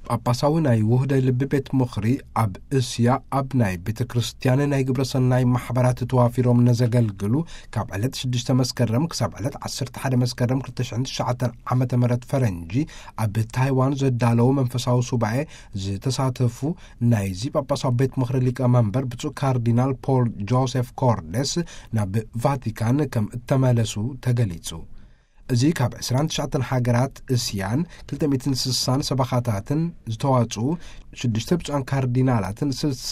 ጳጳሳዊ ናይ ውህደ ልቢ ቤት ምኽሪ ኣብ እስያ ኣብ ናይ ቤተ ክርስቲያን ናይ ግብረ ሰናይ ማሕበራት ተዋፊሮም ነዘገልግሉ ካብ ዕለት ሽዱሽተ መስከረም ክሳብ ዕለት ዓሰርተ ሓደ መስከረም ክልተ ሽሕን ትሽዓተን ዓመተ ምህረት ፈረንጂ ኣብ ታይዋን ዘዳለዉ መንፈሳዊ ሱባኤ ዝተሳተፉ ናይዚ ጳጳሳዊ ቤት ምኽሪ ሊቀ መንበር ብፁዕ ካርዲናል ፖል ጆሴፍ ኮርደስ ናብ ቫቲካን ከም እተመለሱ ተገሊጹ። እዚ ካብ ዕስራን ትሽዓተን ሃገራት እስያን ክልተ ሚእትን ስሳን ሰበኻታትን ዝተዋጽኡ ሽዱሽተ ብፁዓን ካርዲናላትን ስልሳ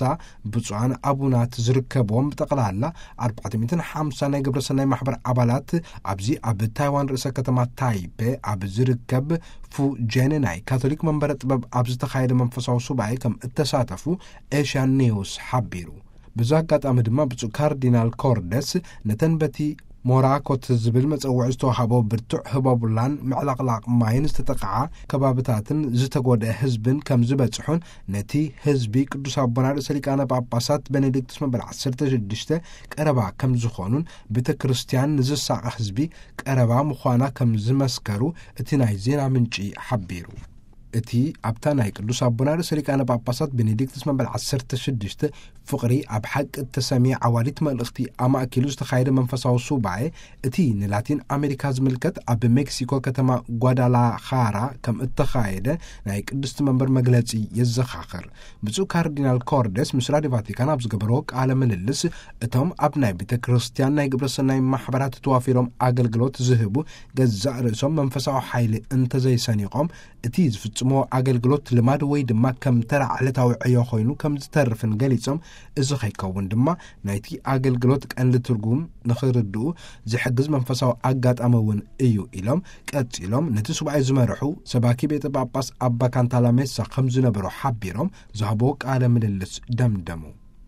ብፁዓን ኣቡናት ዝርከብዎም ብጠቕላላ ኣርባዕተ ሚእትን ሓምሳ ናይ ግብረ ሰናይ ማሕበር ኣባላት ኣብዚ ኣብ ታይዋን ርእሰ ከተማ ታይፔ ኣብ ዝርከብ ፉ ጄን ናይ ካቶሊክ መንበረ ጥበብ ኣብ ዝተኻየደ መንፈሳዊ ሱባኤ ከም እተሳተፉ ኤሽያን ኒውስ ሓቢሩ። ብዚ ኣጋጣሚ ድማ ብፁዕ ካርዲናል ኮርደስ ነተን በቲ ሞራኮት ዝብል መጸውዒ ዝተዋሃቦ ብርቱዕ ህቦብላን ምዕላቕላቕ ማይን ዝተጠቕዓ ከባብታትን ዝተጎድአ ህዝብን ከም ዝበጽሑን ነቲ ህዝቢ ቅዱስ ኣቦና ርእሰ ሊቃነ ጳጳሳት ቤኔዲክቱስ መበል ዓሰርተ ሽዱሽተ ቀረባ ከም ዝኾኑን ቤተ ክርስቲያን ንዝሳቐ ህዝቢ ቀረባ ምዃና ከም ዝመስከሩ እቲ ናይ ዜና ምንጪ ሓቢሩ። እቲ ኣብታ ናይ ቅዱስ ኣቦና ርእሰ ሊቃነ ጳጳሳት ቤኔዲክቱስ መበል ዓሰርተ ሽዱሽተ ፍቕሪ ኣብ ሓቂ እተሰምየ ዓዋዲት መልእኽቲ ኣማእኪሉ ዝተኻየደ መንፈሳዊ ሱባኤ፣ እቲ ንላቲን ኣሜሪካ ዝምልከት ኣብ ሜክሲኮ ከተማ ጓዳላኻራ ከም እተኻየደ ናይ ቅድስቲ መንበር መግለጺ የዘኻኽር። ብፁዕ ካርዲናል ኮርደስ ምስ ራዲዮ ቫቲካን ኣብ ዝገበርዎ ቃለ ምልልስ፣ እቶም ኣብ ናይ ቤተ ክርስቲያን ናይ ግብረ ሰናይ ማሕበራት ተዋፊሮም ኣገልግሎት ዝህቡ ገዛእ ርእሶም መንፈሳዊ ሓይሊ እንተዘይሰኒቖም፣ እቲ ዝፍጽሞ ኣገልግሎት ልማድ ወይ ድማ ከም ተራ ዕለታዊ ዕዮ ኮይኑ ከም ዝተርፍን ገሊጾም፣ እዚ ከይከውን ድማ ናይቲ ኣገልግሎት ቀንዲ ትርጉም ንኽርድኡ ዝሕግዝ መንፈሳዊ ኣጋጣሚ እውን እዩ ኢሎም፣ ቀጺሎም ነቲ ሱባኤ ዝመርሑ ሰባኪ ቤተ ጳጳስ ኣባ ካንታላሜሳ ከም ዝነበሩ ሓቢሮም ዝሃብዎ ቃለ ምልልስ ደምደሙ።